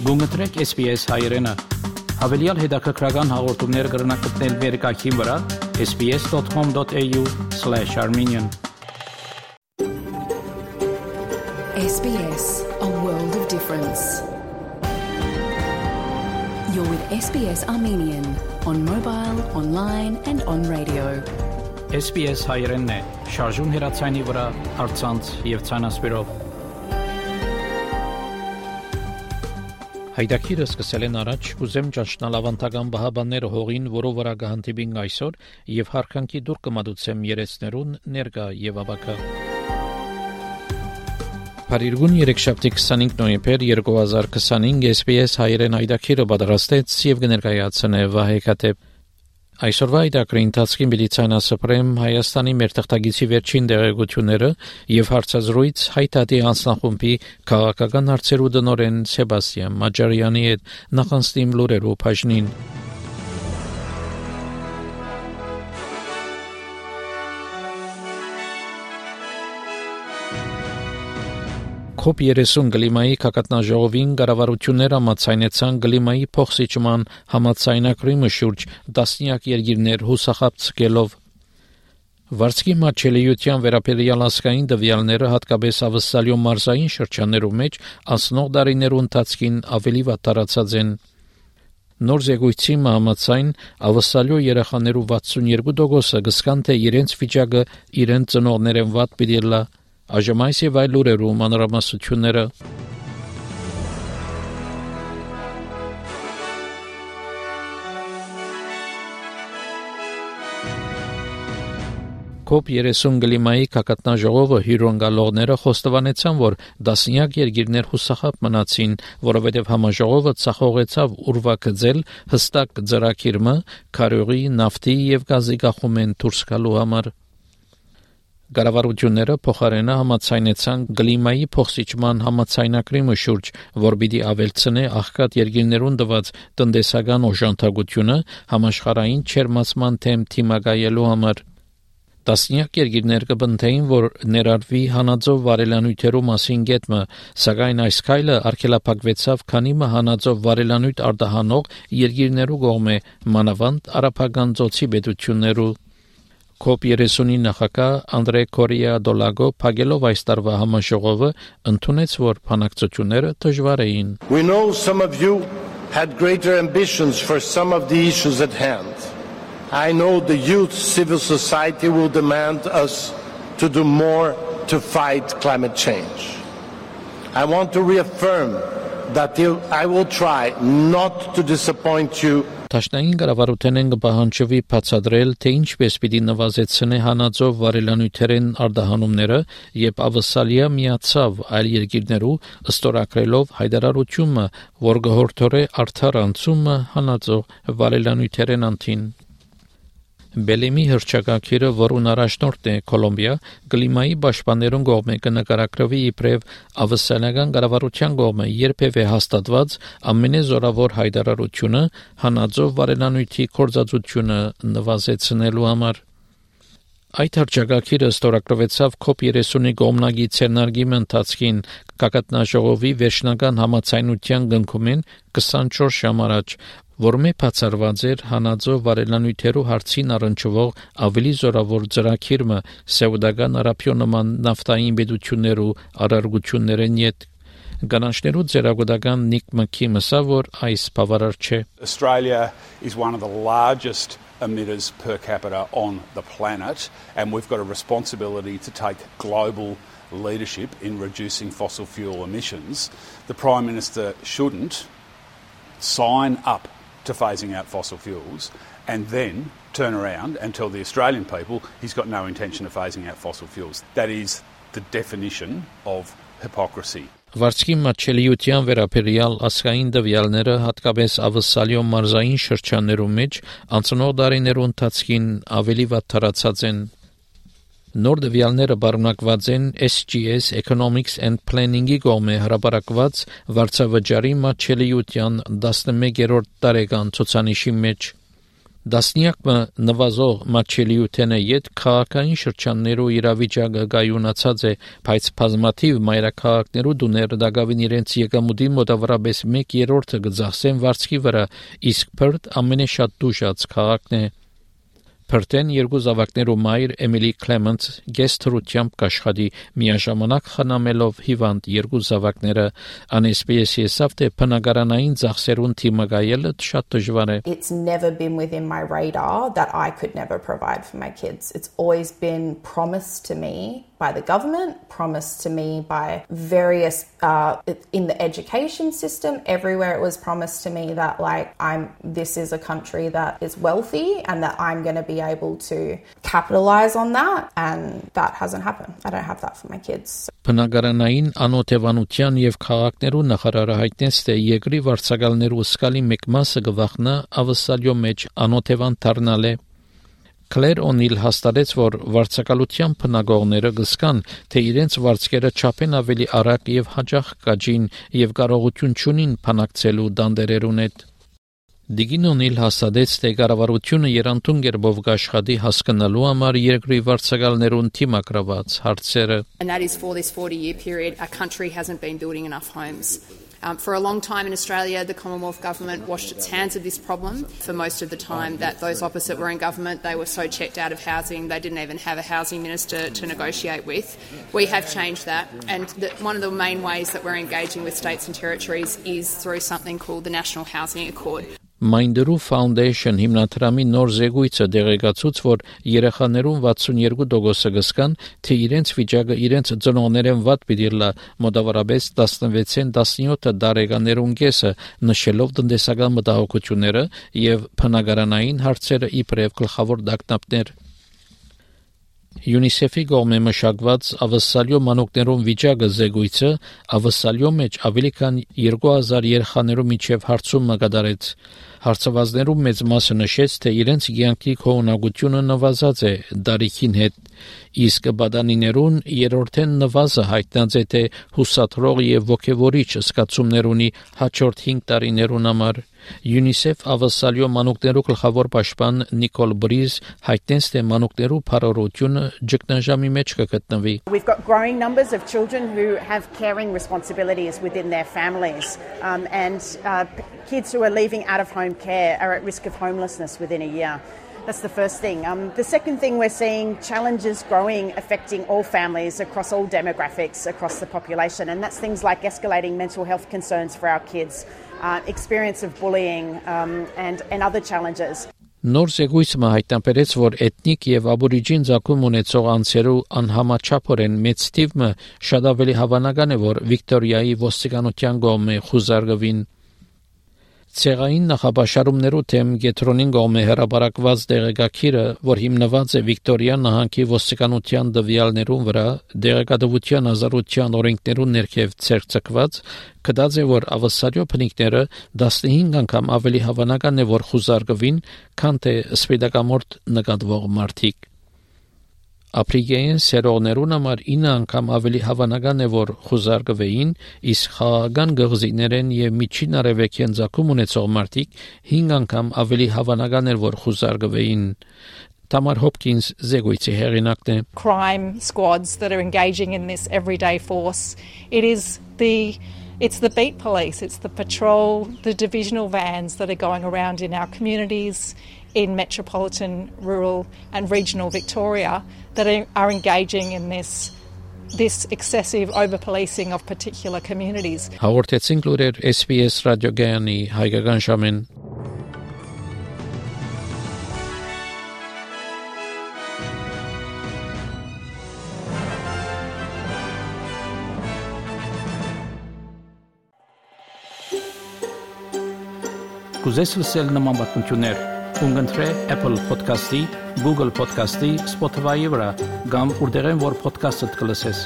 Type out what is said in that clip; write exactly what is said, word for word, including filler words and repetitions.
Գումտրեք S B S հայերենը։ Հավելյալ հետաքրքրական հաղորդումներ կգրնակցնել վերկայքին վրա s b s dot com dot a u slash armenian S B S, a world of difference. You're with S B S Armenian on mobile, online and on radio. S B S հայերենն է, շարժուն հեռացայինի վրա, առցանց եւ ցանասպիրով։ Հայդակիրը սկսել են առաջ, ուզեմ ճաշնալ ավանդական բահաբանները հողին, որով վրա կհանդիպին այսօր, եւ հարկանքի դուր կմատուցեմ երեցներուն ներկա եւ ավակա։ Փարիգուն երեքշաբթի քսանինք նոյեմբեր երկու հազար քսանինք S B S հայերեն հայդակիրը պատրաստեց եւ կներկայացնե Վահե Քաթեփ։ Այսօրվա այդակրի ընթացքին Միլիցիանասպրեմ Հայաստանի մեր թղթագիտի վերջին դեղեցությունները եւ հարցազրույց հայտարարի անձնախումբի քաղաքական հարցերու տնօրեն Սեբաստիան Մաջարյանի հետ նախանցնիմ լուրերով բաժնին։ Կոպ երեսուն գլիմայի կակատնաժողովին կառավարությունները համաձայնեցան գլիմայի փոխսիջման համաձայնագրի շուրջ տասնյակ երկիրներ հուսախաբցկելով։ Վարսկի մատչելիության վերաբերյալ ասկային տվյալները հատկապես ավսալյո մարզային շրջաններում մեջ անցնող դարիներու ընթացքին ավելի վատ տարածած են։ Նոր զեկույցի համաձայն ավսալյո երեխաներու վաթսունյերկու տոկոսը կսկան թե իրենց վիճակը իրենց ծնողներեն վատ պիտի լա։ Այժմ այս եւ այլ լուրերու մանրամասնությունները։ Կոպ երեսուն գլիմայի կակատնաժողովը հյուրընկալողները խոստովանեցան, որ տասնյակ երկիրներ հուսախաբ մնացին, որովհետև համաժողովը ցախողեցավ ուրվագծել հստակ ծրագիրը քարյուղի, նավթի եւ գազի գախումեն դուրս գալու համար։ Կառավարությունները փոխարենը համաձայնեցան գլիմայի փոխսիջման համաձայնագրի շուրջ, որ պիտի ավելցնե աղքատ երկիրներուն տված տնտեսական օժանդակությունը համաշխարհային չերմացման թեմ թիմակայելու համար։ Տասնյակ երկիրներ կբնթեին, որ ներառվի հանածով վարելանյութերու մասին գետմը, սակայն այս քայլը արգելափակվեցավ, քանի մը հանածով վարելանյութ արտահանող երկիրներու կողմէ, մանավանդ արաբական ծոցի պետություններու։ Կոպ երեսունի նախագահ Անդրե Կորիա Դոլագո փակելով այս տարվա համաժողովը ընդունեց, որ բանակցությունները դժվար էին։ We know some of you had greater ambitions for some of the issues at hand. I know the youth civil society will demand us to do more to fight climate change. I want to reaffirm that I will try not to disappoint you. Տաշնային կառավարութենեն կպահանջվի բացատրել, թե ինչպես պիտի նվազեցնե հանածով վարելանյութերեն արտահանումները եւ ավսալիա միացավ այլ երկիրներու ըստորակրելով հայտարարությունը, որ գհորթորե արդար անցումը հանածով վարելանյութերեն անտին։ Բելեմի հրճակակիրը, որուն առաջնորդ է Կոլոմբիա, գլիմայի պաշտպաններուն կողմէ կնկարագրվի իբրև ավսալիական կառավարության կողմէ երբևէ հաստատված ամենազորավոր հայտարարությունը հանածով վարելանյութի կորզածությունը նվազեցնելու համար։ Այդ հրճակակիրը ստորագրվեցավ Կոպ երեսունի կողմնակի ցերնարգի ընթացքին կակատնաժողովի վերջնական համաձայնության գնքումեն քսանչորս ժամ առաջ, որմե բացառված էր հանածով վարելանյութերու հարցին առնչվող ավելի զորավոր ծրագիրը սաուդական արաբիոնման նավթային պետություններու առարգություններեն յետ Գանանշներու ձերագուտական Նիկ Մքիմսա, որ այս բավարար չէ։ Australia is one of the largest emitters per capita on the planet, and we've got a responsibility to take global leadership in reducing fossil fuel emissions. The Prime Minister shouldn't sign up to phasing out fossil fuels and then turn around and tell the Australian people he's got no intention of phasing out fossil fuels. That is the definition of hypocrisy. Վարսկի մատչելիության վերաբերյալ ասկային տվյալները հատկապես ավսալյո մարզային շրջաններում մեջ անցնող դարիներու ընթացքին ավելի վատ տարածած են։ Նոր տվյալները բառնակված են S G S Economics and Planning-ի կողմէ հրապարակված վարձավճարի մատչելիության տասնմեկերորդ տարեկան ցուցանիշի մեջ։ Դասնյակը նվազող մատչելիութենը յետ քաղաքային շրջաններու իրավիճակը գայունացած է, բայց բազմաթիվ մայրաքաղաքներու դուներ դակավին իրենց եկամուտի մոտավորապես մեկ երրորդը գծախսեն վարձքի վրա, իսկ Perth ամենաշատ դուժած քաղաքն է։ Perth-ն երկու զավակներու մայր Էմիլի Կլեմենտս գեստրությամբ կաշխատի միաժամանակ խնամելով հիվանդ երկու զավակները, ան S B S եսավ թե բնակարանային ծախսերուն թիմակայելը շատ դժվար է։ It's never been within my radar that I could never provide for my kids. It's always been promised to me by the government, promised to me by various uh, in the education system. Everywhere it was promised to me that like I'm this is a country that is wealthy and that I'm going to be able to capitalize on that, and that hasn't happened. I don't have that for my kids. Բնակարանային անօթևանության եւ քաղաքներու նախարարը հայտնեց, թե երկրի վարձակալներու սկալի մեկ մասը գվախնա ավսալյո մեջ անօթևան դառնալ է։ Claire O'Neill հաստատեց, որ վարձակալության բնագողները գսկան, թե իրենց վարձկերը չափեն ավելի արագ եւ հաջող կաջին եւ կարողություն չունին փանակցելու դանդերերուն հետ։ Դիգին O'Neill հաստատեց, թե կառավարությունը երանդուն գերբով կաշխատի հասկանալու համար երկրի վարձակալներուն թիմակրված հարցերը։ And that is for this forty-year period, our country hasn't been building enough homes. Um, for a long time in Australia, the Commonwealth Government washed its hands of this problem. For most of the time that those opposite were in government, they were so checked out of housing, they didn't even have a housing minister to negotiate with. We have changed that, and the, one of the main ways that we're engaging with states and territories is through something called the National Housing Accord. Mindru Foundation հիմնադրամի նոր զեկույցը դեղեկացուց, որ երեխաներուն վաթսունյերկու տոկոսը գսկան, թե իրենց վիճակը իրենց ծնողներեն վատ պիտի լա, մոտավորապես տասնվեցին տասնյոթ տարեկաներուն կեսը, նշելով տնտեսական մտահոգությունները եւ բնակարանային հարցերը իբրև գլխավոր դակնապներ։ UNICEF-ի կողմէ մշակված ավսալյո մանուկներուն վիճակը զեկույցը ավսալյո մեջ ավելի քան երկու հազար երեխաներու միջև հարցում կատարեց։ Հարցվածներու մեծ մասը նշեց, թե իրենց կյանքի քողունակությունը նվազած է դարիքին հետ, իսկ բադանիներուն երրորդեն նվազը հայտնած է, թե հուսադրող եւ ոգևորիչ զգացումներ ունի հաջորդ հինգ տարիներուն համար։ UNICEF ավսալյո մանուկներու գլխավոր պաշտպան Նիկոլ Բրիզ հայտնեց, թե մանուկներու փառորությունը ճգնաժամի մեջ կգտնվի։ We've got growing numbers of children who have caring responsibilities within their families, um, and uh, kids who are leaving out of home care are at risk of homelessness within a year. That's the first thing. Um, the second thing, we're seeing challenges growing, affecting all families across all demographics, across the population, and that's things like escalating mental health concerns for our kids, uh, experience of bullying, um, and, and other challenges. Նոր զեկույցը հայտնաբերեց, որ էթնիկ եւ աբորիջին ցակում ունեցող անձերու անհամաչափորեն մեծ թիվը շատ ավելի հավանական է, որ Վիկտորիայի ոստիկանության կողմէ խուզարկվին։ Ցեղային նախապաշարումներու թեմ Գետրոնին կողմէ հրապարակված դեղեկագիրը, որ հիմնված է Վիկտորիա նահանգի ոստիկանության դվյալներուն վրա, դեղեկատվության ազատության օրենքներուն ներքև ցերծկված, կդած է, որ ավսալյո բնիկները տասնհինգ անգամ ավելի հավանական է, որ խուզարկվին, քան թե սպիտակամորթ նկատվող մարդիկ։ Ապրիգեին սերողներուն համար ինը անգամ ավելի հավանական է, որ խուզարկվեին, իսկ խաղաղական գղզիներեն եւ միջին արևելքեն ցակում ունեցող մարդիկ հինգ անգամ ավելի հավանական էր, որ խուզարկվեին։ Tamar Hopkins զեկույցի հեղինակն է։ Crime squads that are engaging in this everyday force. It is the It's the beat police, it's the patrol, the divisional vans that are going around in our communities, in metropolitan, rural and regional Victoria that are, are engaging in this this excessive over-policing of particular communities. Հաղորդեցինք լուրեր S B S ռադիոգայանի հայկական ժամին։ Կուզես լսել նման բանություններ, կընտրե Apple Podcast-ի, Google Podcast-ի, Spotify-ի վրա, կամ որտեղեն որ podcast-ը կլսես։